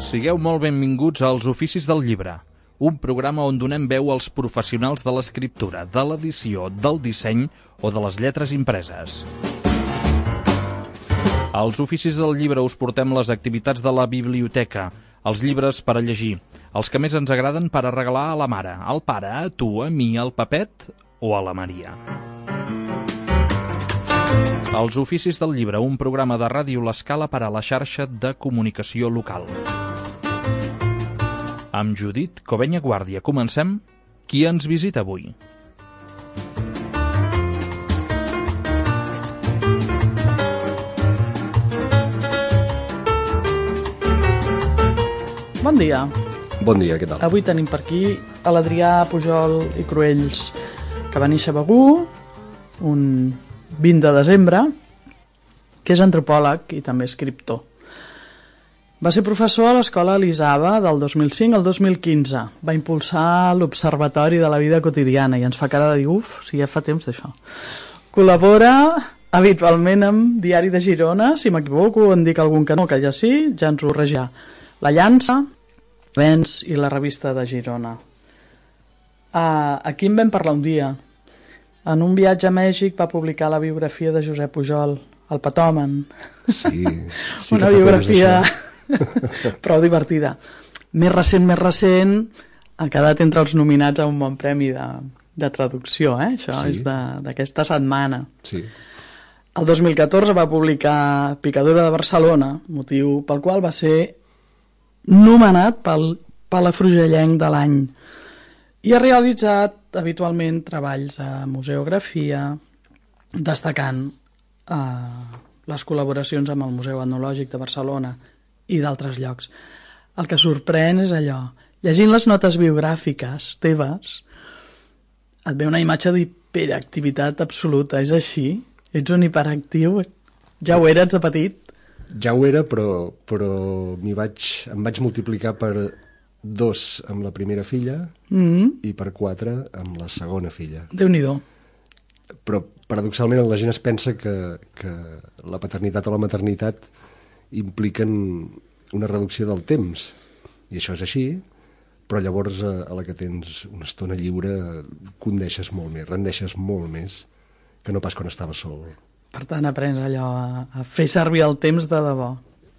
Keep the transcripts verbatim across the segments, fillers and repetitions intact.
Sigueu molt benvinguts als Oficis del Llibre, un programa on donem veu als professionals de l'escriptura, de l'edició, del disseny o de les lletres impreses. Als Oficis del Llibre us portem les activitats de la biblioteca, els llibres per a llegir, els que més ens agraden per a regalar a la mare, al pare, a tu, a mi, al Pepet o a la Maria. Els Oficis del Llibre, un programa de Ràdio L'Escala per a la xarxa de comunicació local. Amb Judit Covenya Guàrdia comencem. Qui ens visita avui? Bon dia. Bon dia, què tal? Avui tenim per aquí a l'Adrià Pujol i Cruells, que va néixer a Begur un vint de desembre, que és antropòleg i també escriptor. Va ser professor a l'Escola Elisava del dos mil cinc al dos mil quinze. Va impulsar l'Observatori de la Vida Quotidiana i ens fa cara de dir, uf, si ja fa temps d'això. Col·labora habitualment amb Diari de Girona, si m'equivoco, en dic algun que no, que ja sí, ja ens ho regia. La Llança, Vents i la Revista de Girona. Uh, aquí en vam parlar un dia. En un viatge a Mèxic va publicar la biografia de Josep Pujol, el Patòmen. Sí, sí una biografia prou divertida. Més recent, més recent, ha quedat entre els nominats a un bon premi de, de traducció, eh? Això sí. És d'aquesta setmana. Sí. El dos mil catorze va publicar Picadura de Barcelona, motiu pel qual va ser nomenat pel Palafrugellenc de l'any. I ha realitzat habitualment treballs a museografia, destacant eh, les col·laboracions amb el Museu Etnològic de Barcelona i d'altres llocs. El que sorprèn és allò. Llegint les notes biogràfiques teves, et ve una imatge d'hiperactivitat absoluta. És així? Ets un hiperactiu? Ja ho eres de petit? Ja ho era, però, però m'hi vaig, em vaig multiplicar per dos amb la primera filla mm-hmm. i per quatre amb la segona filla. Déu-n'hi-do. Però paradoxalment la gent es pensa que, que la paternitat o la maternitat impliquen una reducció del temps, i això és així, però llavors a, a la que tens una estona lliure condeixes molt més, rendeixes molt més que no pas quan estaves sol. Per tant, aprens allò a, a fer servir el temps de debò,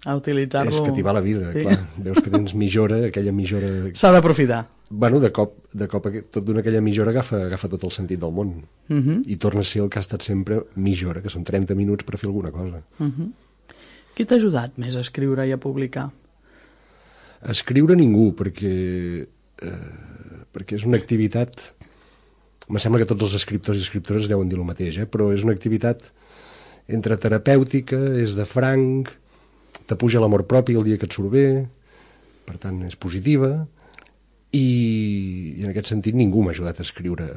a utilitzar-lo. És que t'hi va la vida, sí. Clar. Veus que tens mitjora, aquella mitjora... S'ha d'aprofitar. Bueno, de cop, de cop tot d'una aquella mitjora agafa, agafa tot el sentit del món. Uh-huh. I torna a ser el que ha estat sempre mitjora, que són trenta minuts per fer alguna cosa. Uh-huh. Qui t'ha ajudat més a escriure i a publicar? A escriure ningú, perquè, eh, perquè és una activitat... Me sembla que tots els escriptors i escriptores deuen dir el mateix, eh? Però és una activitat entre terapèutica, és de franc, t'apuja l'amor propi el dia que et surt bé, per tant és positiva, i, i en aquest sentit ningú m'ha ajudat a escriure,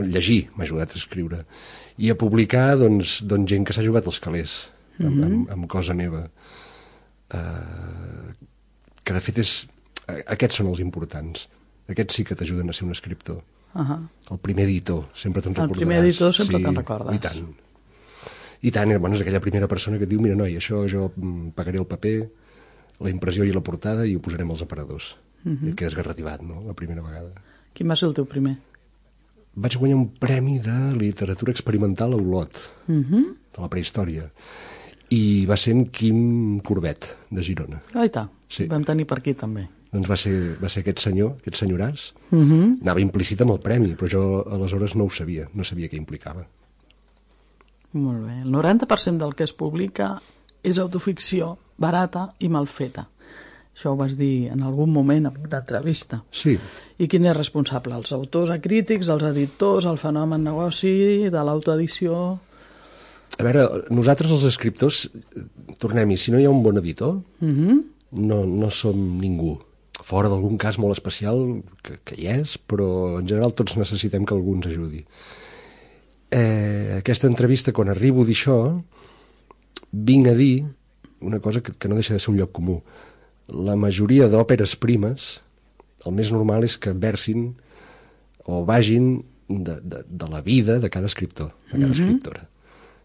llegir m'ha ajudat a escriure, i a publicar doncs, doncs gent que s'ha jugat els calés amb, mm-hmm. amb, amb cosa meva, uh, que de fet és, aquests són els importants, aquests sí que t'ajuden a ser un escriptor. Uh-huh. El primer editor, sempre te'n recordaràs. El primer editor sempre sí, te'n recordes. I tant. I tant, bueno, és aquella primera persona que et diu, mira, noi, això jo pagaré el paper, la impressió i la portada i ho posarem als aparadors. Uh-huh. I et quedes garrativat, no?, la primera vegada. Quin va ser el teu primer? Vaig guanyar un premi de literatura experimental a Olot, uh-huh. de la prehistòria. I va ser en Quim Corbet, de Girona. Aita, sí. Vam tenir per aquí també. Doncs va ser, va ser aquest senyor, aquest senyoràs. Uh-huh. Anava implícit amb el premi, però jo aleshores no ho sabia, no sabia què implicava. Molt bé. El noranta per cent del que es publica és autoficció barata i mal feta. Això ho vas dir en algun moment en una entrevista. Sí. I quin és responsable? Els autors acrítics, els editors, el fenomen negoci, de l'autoedició? A veure, nosaltres els escriptors, tornem-hi, si no hi ha un bon editor, uh-huh. no, no som ningú. Fora d'algun cas molt especial, que, que hi és, però en general tots necessitem que algú ens ajudi. Eh, aquesta entrevista, quan arribo a dir això, vinc a dir una cosa que, que no deixa de ser un lloc comú. La majoria d'òperes primes, el més normal és que versin o vagin de, de, de la vida de cada escriptor, de cada mm-hmm. escriptora.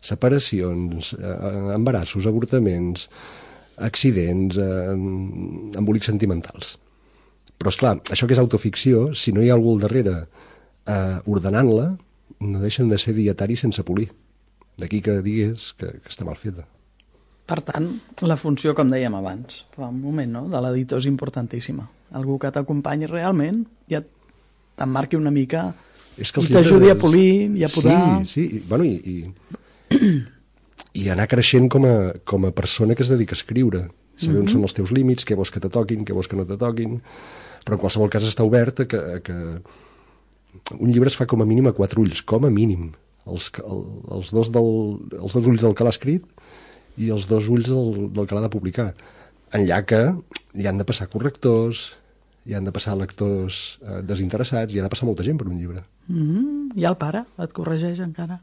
Separacions, eh, embarassos, avortaments, accidents, eh, embolics sentimentals. Però, esclar, això que és autoficció, si no hi ha algú al darrere eh, ordenant-la, no deixen de ser dietaris sense polir. D'aquí que digues que, que està mal feta. Per tant, la funció, com dèiem abans, fa un moment, no?, de l'editor és importantíssima. Algú que t'acompanyi realment i et t'emmarqui una mica és que i t'ajudi llibres... a polir i a podar. Sí, sí, bueno, i, i, i anar creixent com a, com a persona que es dedica a escriure. Saber mm-hmm. on són els teus límits, què vols que te toquin, què vols que no te toquin, però en qualsevol cas està obert a que, a que un llibre es fa com a mínim a quatre ulls, com a mínim. Els, el, els, dos, del, els dos ulls del que l'ha escrit i els dos ulls del, del que l'ha de publicar. Enllà que hi han de passar correctors, hi han de passar lectors eh, desinteressats, hi ha de passar molta gent per un llibre. Mm-hmm. I el pare et corregeix encara?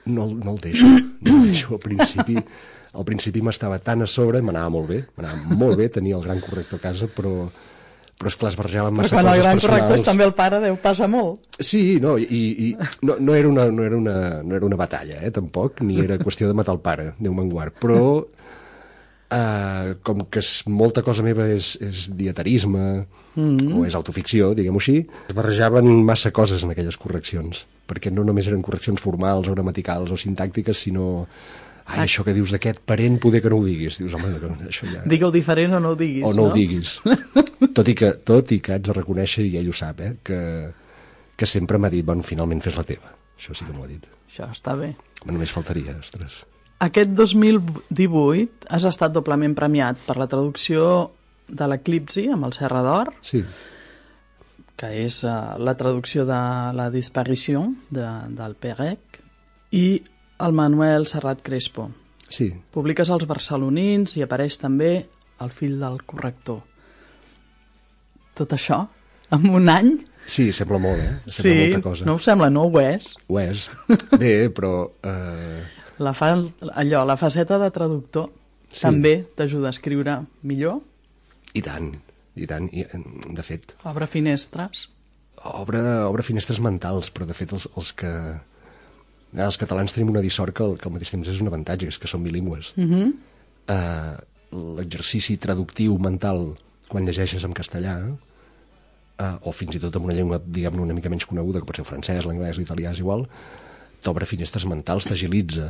No, no el deixo, no el deixo. Al principi, al principi m'estava tan a sobre, m'anava molt bé, m'anava molt bé, tenia el gran corrector a casa, però, però esclar, es barrejaven massa però quan coses el gran personals. corrector és també el pare, Déu passa molt. Sí, no, i, i no, no, era una, no, era una, no era una batalla, eh, tampoc, ni era qüestió de matar el pare, Déu me'n guard, però eh, com que és, molta cosa meva és, és dietarisme, mm-hmm. o és autoficció, diguem-ho així, es barrejaven massa coses en aquelles correccions, perquè no només eren correccions formals o gramaticals o sintàctiques, sinó ai, això que dius d'aquest parent, poder que no ho diguis. Dius, home, això ja... Digue-ho diferent o no ho diguis, o no, no? ho diguis. Tot i, que, tot i que haig de reconèixer, i ell ho sap, eh, que, que sempre m'ha dit, bueno, finalment fes la teva. Això sí que m'ho ha dit. Això està bé. Només faltaria, ostres. Aquest dos mil divuit has estat doblement premiat per la traducció de l'Eclipsi amb el Serra d'Or, sí. que és uh, la traducció de la Disparition de, del Perec, i el Manuel Serrat Crespo. Sí. Publiques els barcelonins i apareix també el fill del corrector. Tot això, en un any? Sí, sembla molt, eh? Sembla sí, molta cosa. No ho sembla, no ho és. Ho és. Bé, però... Eh... La fa, allò, la faceta de traductor sí. també t'ajuda a escriure millor? I tant, i tant. I, de fet... Obre finestres? Obre, obre finestres mentals, però de fet els, els que... Els catalans tenim una dissort que, que al mateix temps és un avantatge, és que som bilingües. Mm-hmm. Uh, l'exercici traductiu mental quan llegeixes en castellà, uh, o fins i tot en una llengua, diguem-ne, una mica menys coneguda, que pot ser el francès, l'anglès, l'italià, és igual, t'obre finestres mentals, t'agilitza.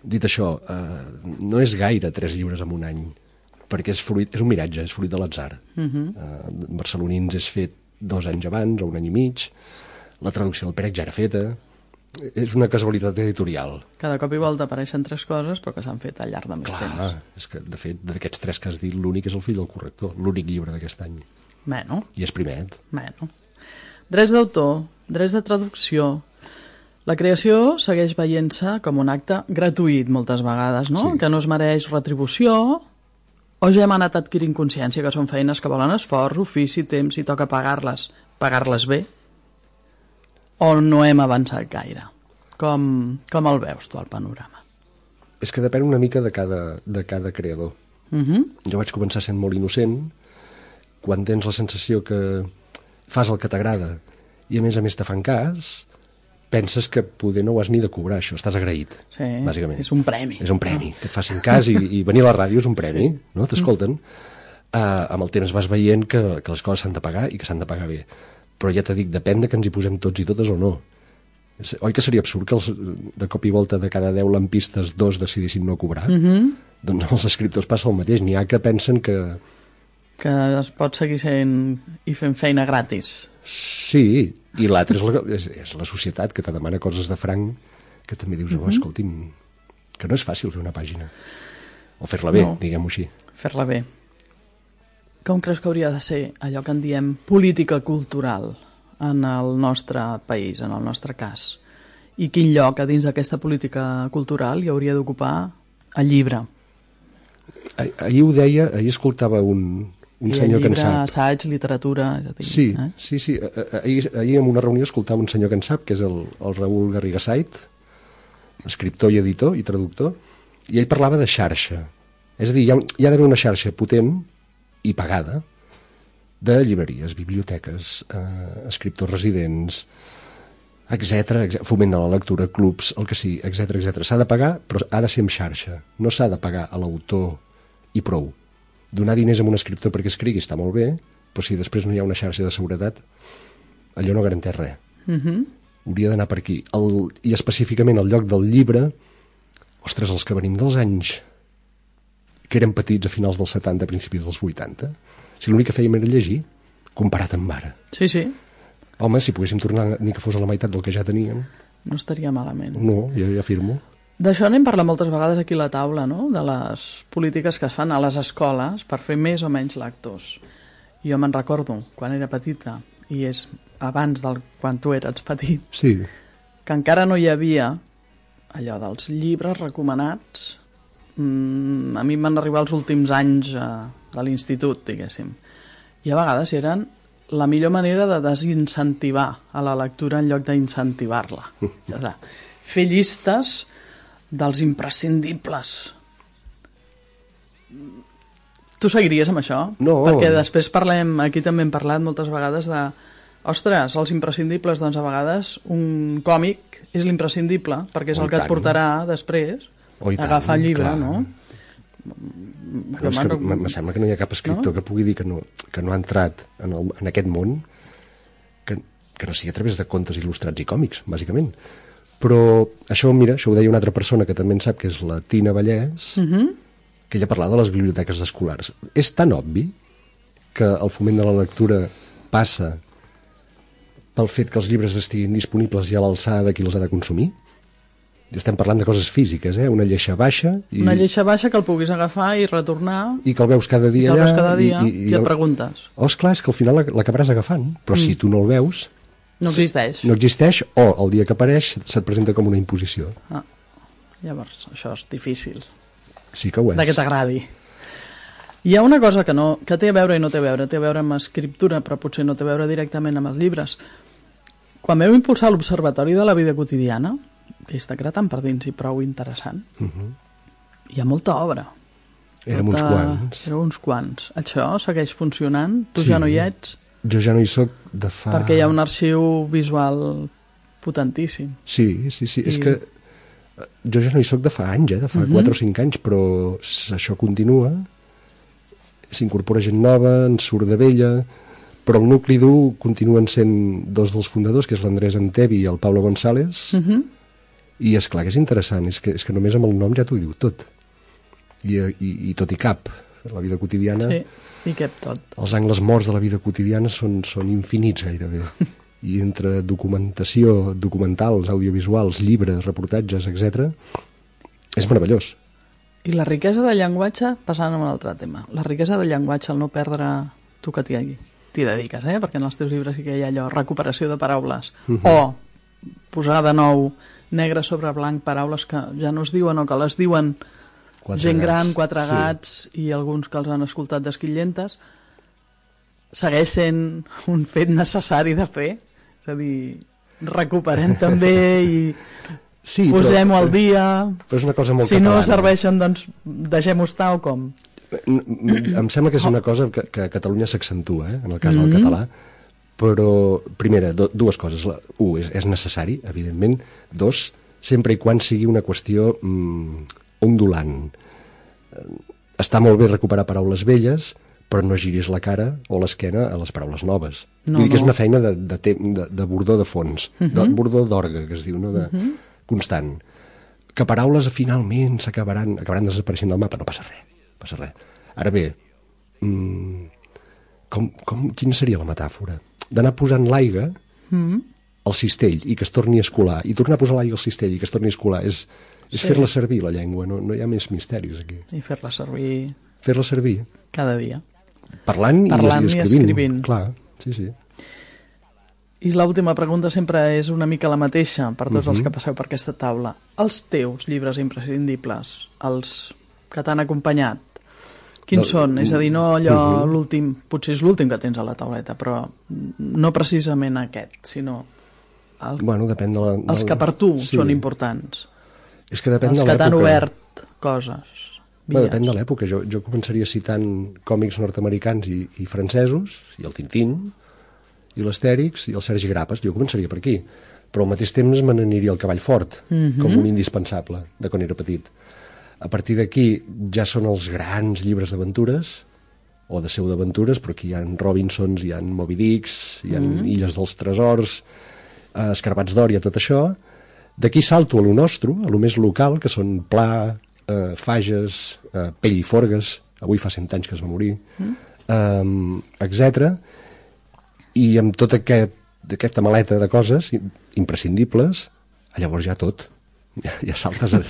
Dit això, uh, no és gaire tres llibres en un any, perquè és, fruit, és un miratge, és fruit de l'atzar. Mm-hmm. uh, Barcelonins és fet dos anys abans, o un any i mig, la traducció del Pérec ja era feta, és una casualitat editorial. Cada cop i volta apareixen tres coses, però que s'han fet al llarg de més Clar, temps. És que, de fet, d'aquests tres que has dit, l'únic és el fill del corrector, l'únic llibre d'aquest any. Bueno. I és primet. Bueno. Drets d'autor, drets de traducció... La creació segueix veient-se com un acte gratuït moltes vegades, no? Sí. Que no es mereix retribució, o ja hem anat adquirint consciència que són feines que volen esforç, ofici, temps, i toca pagar-les. Pagar-les bé? O no hem avançat gaire? Com, com el veus tu, el panorama? És que depèn una mica de cada, de cada creador. Uh-huh. Jo vaig començar sent molt innocent, quan tens la sensació que fas el que t'agrada i a més a més te fan cas, penses que poder no ho has ni de cobrar, això, estàs agraït, sí, bàsicament. És un premi. És un premi, que et facin cas i, i venir a la ràdio és un premi, sí. No? T'escolten. Uh, amb el temps vas veient que, que les coses s'han de pagar i que s'han de pagar bé. Però ja t'he dit, depèn de que ens hi posem tots i totes o no. Oi que seria absurd que els, de cop i volta de cada deu lampistes dos decidissin no cobrar? Uh-huh. Doncs els escriptors passa el mateix. N'hi ha que pensen que... Que es pot seguir sent i fent feina gratis. Sí, i l'altre és, la, és, és la societat que te demana coses de franc que també dius, uh-huh. oh, escolti'm, que no és fàcil fer una pàgina. O fer-la bé, no. Diguem-ho així. Fer-la bé. Com creus que hauria de ser allò que en diem política cultural en el nostre país, en el nostre cas? I quin lloc a dins d'aquesta política cultural hi hauria d'ocupar el llibre? Ah, ahir ho deia, ahir escoltava un, un I senyor llibre, que en sap. assaig, literatura... Ja tinc, sí, eh? sí, sí. Ahir, ahir en una reunió escoltava un senyor que en sap, que és el, el Raül Garrigasait, escriptor i editor i traductor, i ell parlava de xarxa. És a dir, hi ha, hi ha d'haver una xarxa potent i pagada de llibreries, biblioteques, eh, escriptors residents, etcètera, foment de la lectura, clubs, el que sigui, etcètera, etcètera. S'ha de pagar, però ha de ser en xarxa. No s'ha de pagar a l'autor i prou. donar diners a un escriptor perquè escrigui està molt bé, però si després no hi ha una xarxa de seguretat, allò no garanteix res. Uh-huh. Hauria d'anar per aquí. El, I específicament el lloc del llibre, ostres, els que venim dels anys que eren petits a finals dels setanta, principis dels vuitanta, si l'únic que fèiem era llegir, comparat amb ara. Sí, sí. Home, si poguéssim tornar ni que fos a la meitat del que ja teníem. No estaria malament. No, jo ja afirmo. D'això n'hem parlat moltes vegades aquí a la taula, no? De les polítiques que es fan a les escoles per fer més o menys lectors. Jo me'n recordo, quan era petita, i és abans del quan tu eres petit, sí. que encara no hi havia allò dels llibres recomanats. Mm, a mi em van arribar els últims anys eh, de l'institut, diguéssim. I a vegades eren la millor manera de desincentivar a la lectura en lloc d'incentivar-la. Ja està. Fer llistes dels imprescindibles. Tu seguiries amb això? No. Perquè després parlem, aquí també hem parlat moltes vegades de ostres, els imprescindibles, doncs a vegades un còmic és l'imprescindible, perquè és oh, el que et portarà després oh, a agafar el llibre, clar. no? Bueno, és que me sembla que no hi ha cap escriptor no? que pugui dir que no, que no ha entrat en, el, en aquest món que, que no sigui a través de contes il·lustrats i còmics, bàsicament. Però això, mira, això ho deia una altra persona que també en sap, que és la Tina Vallès, uh-huh. que ella parlava de les biblioteques escolars. És tan obvi que el foment de la lectura passa pel fet que els llibres estiguin disponibles ja a l'alçada de qui els ha de consumir. I estem parlant de coses físiques, eh? Una lleixa baixa... I... Una lleixa baixa que el puguis agafar i retornar... I que el veus cada dia allà... I que el veus allà, cada dia i, i, i, i et el... preguntes. Oh, esclar, és que al final l'acabaràs agafant. Però mm. si tu no el veus... No existeix. No existeix, o el dia que apareix se't presenta com una imposició. Ah, llavors, això és difícil. Sí que ho és. De que t'agradi. Hi ha una cosa que, no, que té a veure i no té a veure. Té a veure amb escriptura, però potser no té a veure directament amb els llibres. Quan vam impulsar l'Observatori de la Vida Quotidiana, que està cretant per dins i prou interessant, uh-huh. hi ha molta obra. Érem tota... uns quants. Érem uns quants. Això segueix funcionant? Tu sí. ja no hi ets? Jo ja no hi soc de fa... Perquè hi ha un arxiu visual potentíssim. Sí, sí, sí. I... És que jo ja no hi soc de fa anys, eh? De fa uh-huh. quatre o cinc anys, però això continua. S'incorpora gent nova, en surt de vella, però el nucli dur continuen sent dos dels fundadors, que és l'Andrés Antevi i el Pablo González, uh-huh. i és clar que és interessant, és que, és que només amb el nom ja t'ho diu tot. I, i, i tot i cap. La vida quotidiana... Sí, i cap tot. Els angles morts de la vida quotidiana són, són infinits gairebé. I entre documentació, documentals, audiovisuals, llibres, reportatges, etcètera, és meravellós. I la riquesa del llenguatge, passant a un altre tema, la riquesa del llenguatge, el no perdre tu que t'hi t'hi dediques, eh? Perquè en els teus llibres sí que hi ha allò, recuperació de paraules, uh-huh. o posar de nou negre sobre blanc paraules que ja no es diuen o que les diuen quatre gent gats. gran, quatre sí. gats i alguns que els han escoltat d'esquillentes, segueix sent un fet necessari de fer, és a dir, recuperem també i sí, posem-ho al dia, però és una cosa molt si catalana. No serveixen doncs deixem-ho estar o com? Em sembla que és una cosa que, que a Catalunya s'accentua, eh, en el cas mm-hmm. del català, però, primera, do, dues coses. La, un, és, és necessari, evidentment. Dos, sempre i quan sigui una qüestió mm, ondulant. Està molt bé recuperar paraules velles, però no giris la cara o l'esquena a les paraules noves. No, Vull dir que és no. una feina de, de, de, de bordó de fons, mm-hmm. de bordó d'orgue, que es diu, no? de, mm-hmm. constant. Que paraules finalment s'acabaran acabaran desapareixent del mapa, no passa res. Passa res. Ara bé, mmm, com, com, quina seria la metàfora? D'anar posant l'aigua mm. al cistell i que es torni a escolar, i tornar a posar l'aigua al cistell i que es torni a escolar, és, és sí. fer-la servir, la llengua, no, no hi ha més misteris aquí. I fer-la servir... Fer-la servir. Cada dia. Parlant, Parlant i, i escrivint. escrivint. Clar, sí, sí. I l'última pregunta sempre és una mica la mateixa per tots uh-huh. els que passeu per aquesta taula. Els teus llibres imprescindibles, els que t'han acompanyat, quins no, són? És a dir, no allò uh-huh. l'últim, potser és l'últim que tens a la tauleta, però no precisament aquest, sinó el, bueno, depèn de la, de els que per tu sí. són importants. És que depèn els de que t'han obert coses. Bueno, depèn de l'època. Jo, jo començaria citant còmics nord-americans i, i francesos, i el Tintín, i l'Astèrix, i el Sergi Grapes. Jo començaria per aquí. Però al mateix temps me n'aniria al Cavall Fort, uh-huh. com un indispensable de quan era petit. A partir d'aquí ja són els grans llibres d'aventures o de pseudaventures, però aquí hi ha Robinsons, hi ha Moby Dicks, hi ha mm. Illes dels Tresors, eh, Escarbats d'Or, i tot això. D'aquí salto a lo nostre, a lo més local, que són Pla, eh, Fages, eh, Pell i Forgues, avui fa cent anys que es va morir, mm. eh, etcètera. I amb tota aquest, aquesta maleta de coses imprescindibles, llavors ja tot. Ja, ja saltes a...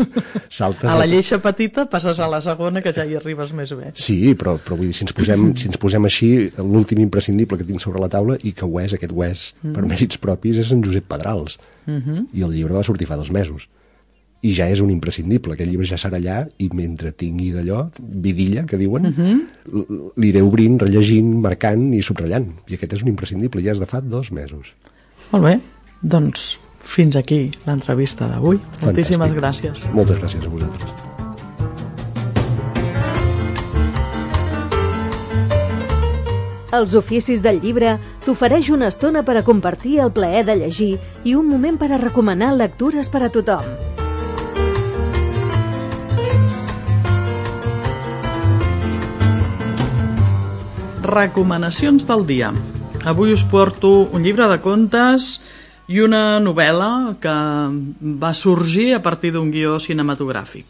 Saltes a la lleixa petita passes a la segona, que ja hi arribes més bé. Sí, però, però vull dir, si ens posem, si ens posem així, l'últim imprescindible que tinc sobre la taula, i que ho és, aquest ho és, mm. per mèrits propis, és en Josep Pedrals. Mm -hmm. I el llibre va sortir fa dos mesos. I ja és un imprescindible. Aquest llibre ja serà allà, i mentre tingui d'allò, vidilla, que diuen, mm -hmm. l'iré obrint, rellegint, marcant i subratllant. I aquest és un imprescindible, ja és de fa dos mesos. Molt bé, doncs... fins aquí l'entrevista d'avui. Moltíssimes gràcies. Moltes gràcies a vosaltres. Els oficis del llibre t'ofereix una estona per a compartir el plaer de llegir i un moment per a recomanar lectures per a tothom. Recomanacions del dia. Avui us porto un llibre de contes i una novel·la que va sorgir a partir d'un guió cinematogràfic.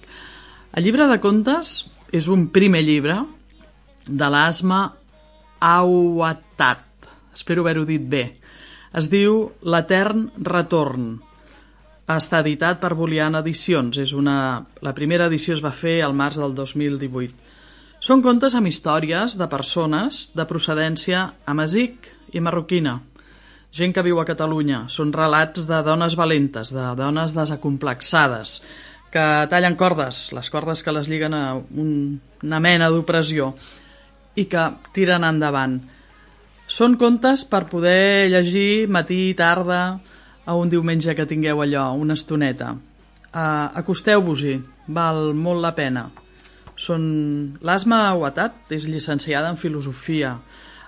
El llibre de contes és un primer llibre de l'Asma Awatad. Espero haver-ho dit bé. Es diu L'Etern Retorn. Està editat per Boliana Edicions. És una... La primera edició es va fer al març del dos mil divuit. Són contes amb històries de persones de procedència amazic i marroquina. Gent que viu a Catalunya. Són relats de dones valentes, de dones desacomplexades, que tallen cordes, les cordes que les lliguen a un, una mena d'opressió, i que tiren endavant. Són contes per poder llegir matí i tarda a un diumenge que tingueu allò, una estoneta. Uh, acosteu-vos-hi, val molt la pena. Són... L'Asma Awatad és llicenciada en filosofia,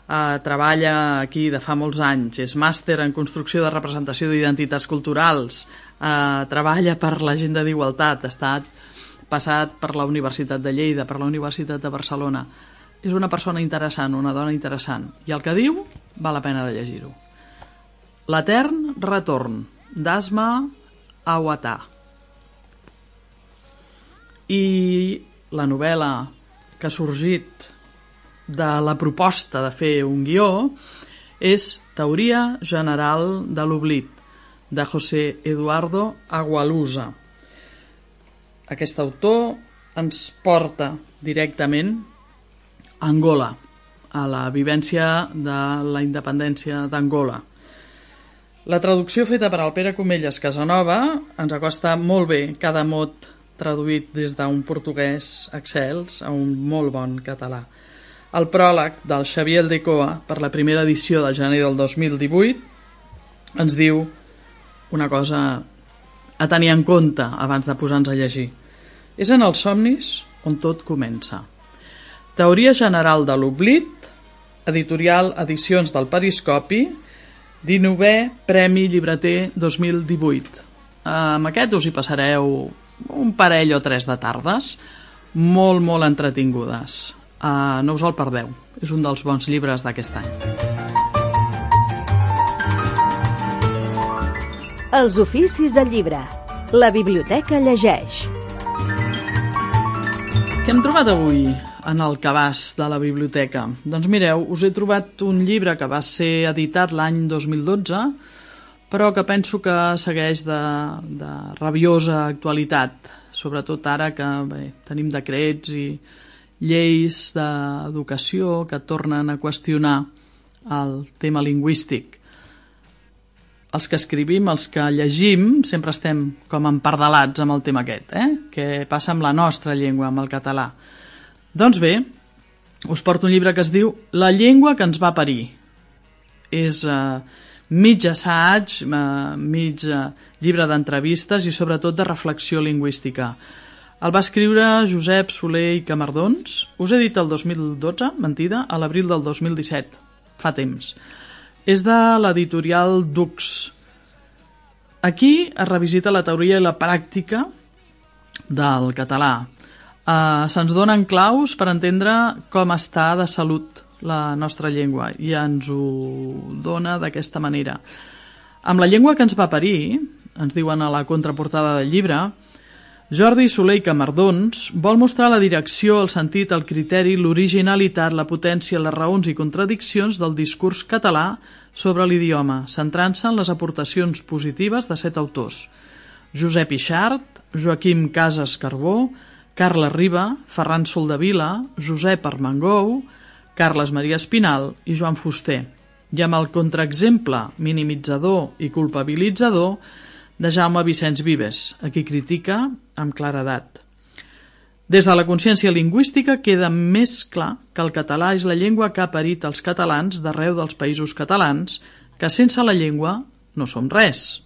Uh, treballa aquí de fa molts anys, és màster en construcció de representació d'identitats culturals, uh, treballa per l'Agenda d'Igualtat, ha estat passat per la Universitat de Lleida, per la Universitat de Barcelona. És una persona interessant, una dona interessant, i el que diu val la pena de llegir-ho. L'Etern Retorn, d'Asma Awatad. I la novel·la que ha sorgit de la proposta de fer un guió és Teoria General de l'Oblit, de José Eduardo Agualusa. Aquest autor ens porta directament a Angola, a la vivència de la independència d'Angola. La traducció feta per el Pere Comelles Casanova ens acosta molt bé cada mot traduït des d'un portuguès excels a un molt bon català. El pròleg del Xavier Aldecoa per la primera edició del gener del dos mil divuit ens diu una cosa a tenir en compte abans de posar-nos a llegir. És en els somnis on tot comença. Teoria General de l'Oblit, editorial Edicions del Periscopi, dinovè Premi Llibreter dos mil divuit. Amb aquest us hi passareu un parell o tres de tardes molt, molt entretingudes. Uh, no us el perdeu, és un dels bons llibres d'aquest any. Els oficis del llibre. La biblioteca llegeix. Què hem trobat avui en el cabàs de la biblioteca? Doncs mireu, us he trobat un llibre que va ser editat l'any dos mil dotze, però que penso que segueix de, de rabiosa actualitat, sobretot ara que bé, tenim decrets i lleis d'educació que tornen a qüestionar el tema lingüístic. Els que escrivim, els que llegim, sempre estem com empardalats amb el tema aquest, eh? Què passa amb la nostra llengua, amb el català. Doncs bé, us porto un llibre que es diu La llengua que ens va parir. És eh, mig assaig, eh, mig eh, llibre d'entrevistes i sobretot de reflexió lingüística. El va escriure Josep Soler i Camardons. Us he dit el dos mil dotze, mentida, a l'abril del dos mil disset, fa temps. És de l'editorial Dux. Aquí es revisita la teoria i la pràctica del català. Uh, se'ns donen claus per entendre com està de salut la nostra llengua i ens ho dona d'aquesta manera. Amb la llengua que ens va parir, ens diuen a la contraportada del llibre, Jordi Soler i Camardons vol mostrar la direcció, el sentit, el criteri, l'originalitat, la potència, les raons i contradiccions del discurs català sobre l'idioma, centrant-se en les aportacions positives de set autors: Josep Ixart, Joaquim Casas Carbó, Carles Riba, Ferran Soldevila, Josep Armengou, Carles Maria Espinal i Joan Fuster, i amb el contraexemple minimitzador i culpabilitzador de Jaume Vicenç Vives, a qui critica amb claredat. Des de la consciència lingüística queda més clar que el català és la llengua que ha parit els catalans d'arreu dels països catalans, que sense la llengua no som res.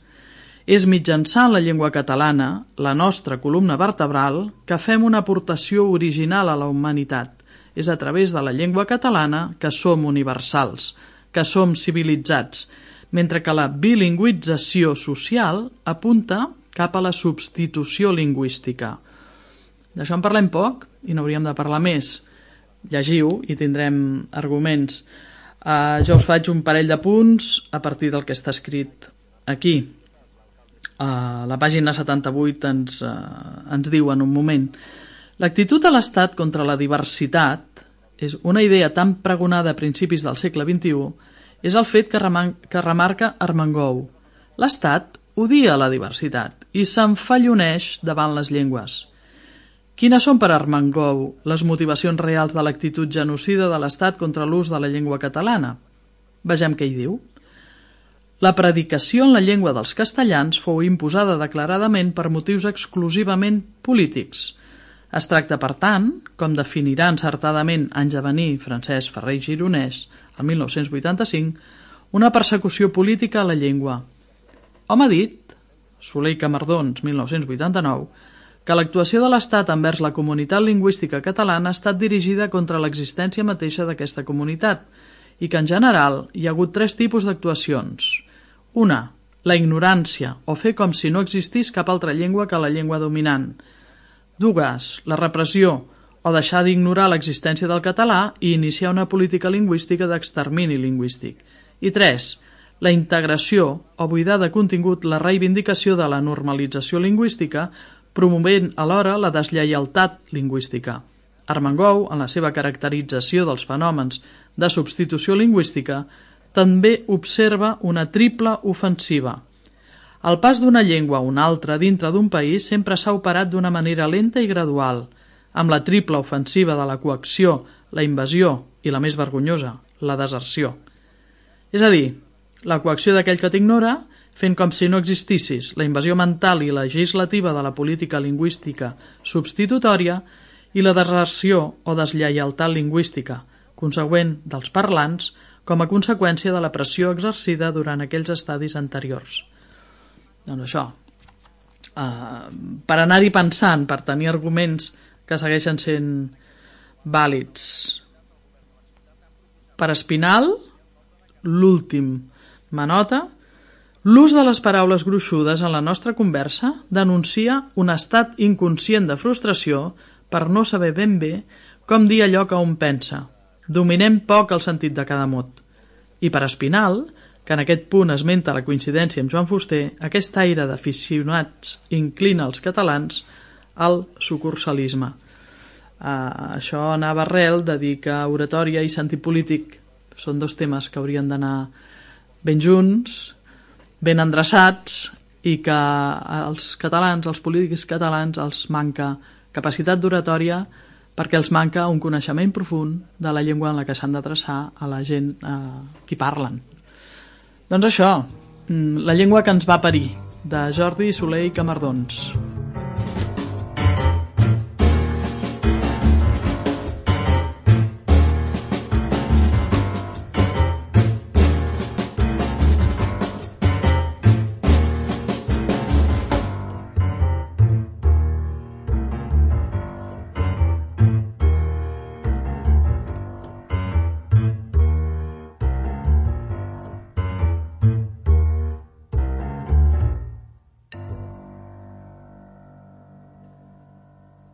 És mitjançant la llengua catalana, la nostra columna vertebral, que fem una aportació original a la humanitat. És a través de la llengua catalana que som universals, que som civilitzats, mentre que la bilingüització social apunta cap a la substitució lingüística. D'això en parlem poc i n'hauríem de parlar més. Llegiu i tindrem arguments. Uh, jo us faig un parell de punts a partir del que està escrit aquí. Uh, la pàgina setanta-vuit ens, uh, ens diu en un moment: l'actitud de l'Estat contra la diversitat és una idea tan pregonada a principis del segle vint-i-u, és el fet que, reman que remarca Armengou. L'Estat odia la diversitat i s'enfalloneix davant les llengües. Quines són per Armengou les motivacions reals de l'actitud genocida de l'Estat contra l'ús de la llengua catalana? Vegem què hi diu. La predicació en la llengua dels castellans fou imposada declaradament per motius exclusivament polítics. Es tracta, per tant, com definirà encertadament anys a venir Francesc Ferrer i Gironès, el mil nou-cents vuitanta-cinc, una persecució política a la llengua. Hom ha dit, Soler i Camardons, mil nou-cents vuitanta-nou, que l'actuació de l'Estat envers la comunitat lingüística catalana ha estat dirigida contra l'existència mateixa d'aquesta comunitat i que, en general, hi ha hagut tres tipus d'actuacions. Una, la ignorància, o fer com si no existís cap altra llengua que la llengua dominant. Dues, la repressió, o deixar d'ignorar l'existència del català i iniciar una política lingüística d'extermini lingüístic. I tres, la integració, o buidar de contingut la reivindicació de la normalització lingüística, promovent alhora la deslleialtat lingüística. Armengou, en la seva caracterització dels fenòmens de substitució lingüística, també observa una triple ofensiva. El pas d'una llengua a una altra dintre d'un país sempre s'ha operat d'una manera lenta i gradual, amb la triple ofensiva de la coacció, la invasió i la més vergonyosa, la deserció. És a dir, la coacció d'aquell que t'ignora, fent com si no existissis, la invasió mental i legislativa de la política lingüística substitutòria i la deserció o deslleialtat lingüística, consegüent dels parlants, com a conseqüència de la pressió exercida durant aquells estadis anteriors. Doncs això, uh, per anar-hi pensant, per tenir arguments que segueixen sent vàlids. Per Espinal, l'última nota, l'ús de les paraules gruixudes en la nostra conversa denuncia un estat inconscient de frustració per no saber ben bé com dir allò que un pensa. Dominem poc el sentit de cada mot. I per Espinal, que en aquest punt esmenta la coincidència amb Joan Fuster, aquest aire d'aficionats inclina els catalans al sucursalisme. Uh, això anava arrel de dir que oratòria i sentit polític són dos temes que haurien d'anar ben junts, ben endreçats, i que als catalans, als polítics catalans, els manca capacitat d'oratòria perquè els manca un coneixement profund de la llengua en la que s'han d'adreçar a la gent a qui parlen. Doncs això, La llengua que ens va parir, de Jordi Soler i Camardons.